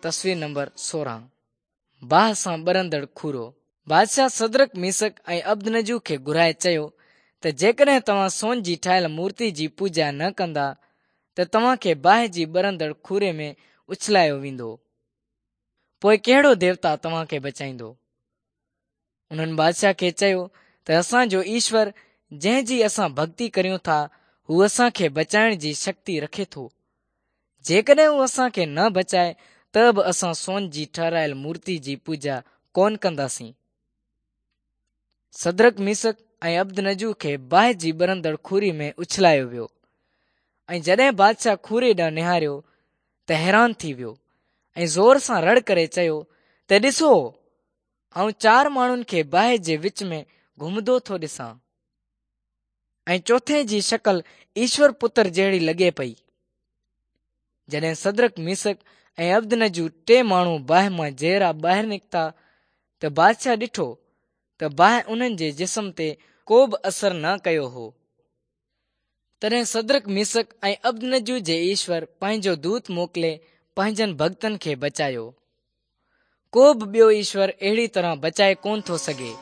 تصوير نمبر 16 باهه سان ٻرندڙ کورو. بادشاهه سدرڪ، ميسڪ ۽ عبدنجو کي گهرائي چيو ته جيڪڏهن توهان سون جي ٺاهيل مورتي جي پوڄا نه ڪندا ته توهان کي باهه جي ٻرندڙ کوري ۾ اڇلايو ويندو. پوء ڪهڙو ديوتا توهان کي بچائيندو؟ انهن بادشاهه کي چيو ته اسان جو ايشور جنهن جي اسان ڀڳتي ڪريون ٿا، هو اسان کي بچائڻ جي شڪتي رکي ٿو. جيڪڏهن هو اسان کي نه بچائي ته به اسان سون جي ٺهرايل مورتي جي پوڄا ڪونه ڪنداسين. سدرڪ، ميسڪ ۽ عبدنجو کي باهه جي ٻرندڙ کوري ۾ اڇلايو ويو ۽ جڏهن بادشاهه کوري ڏانهن نهاريو ته حيران ٿي ويو ۽ زور سان رڙ ڪري چيو ته ڏسو! آئون چار ماڻهن کي باهه جي وچ ۾ گهمندو ٿو ڏسان ۽ چوٿين جي شڪل ايشور پتر جهڙي لڳي پئي. جڏهن سدرڪ، ميسڪ ۽ عبدنجو ٽي ماڻهو باهه مان جيئرا ٻاهر نڪتا ته بادشاهه ڏٺو ته باهه انهن جي جسم تي ڪو به اثر نه ڪيو هو. تڏهن سدرڪ، ميسڪ ۽ عبدنجو جي ايشور پنهنجو دوت موڪلي پنهنجن ڀڳتن کي بچايو. ڪو به ٻيو ايشور اهڙي طرح بچائي ڪونه ٿو سگهي.